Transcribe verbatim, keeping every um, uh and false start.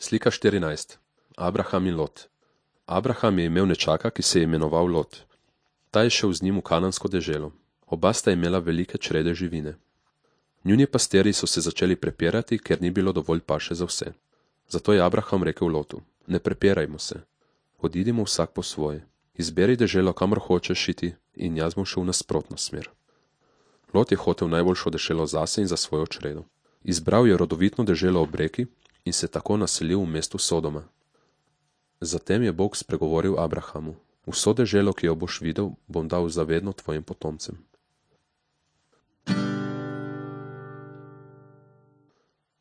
Slika štirinajst. Abraham in Lot. Abraham je imel nečaka, ki se je imenoval Lot. Ta je šel z njim v kanansko deželo. Oba sta imela velike črede živine. Njuni pastiri so se začeli prepirati, ker ni bilo dovolj paše za vse. Zato je Abraham rekel Lotu: ne prepirajmo se. Odidimo vsak po svoje. Izberi deželo, kamor hočeš iti, in jaz bom šel v nasprotno smer. Lot je hotel najboljšo deželo zase in za svojo čredo. Izbral je rodovitno deželo ob reki in se tako naselil v mestu Sodoma. Zatem je Bog spregovoril Abrahamu: vso deželo, ki jo boš videl, bom dal zavedno tvojim potomcem.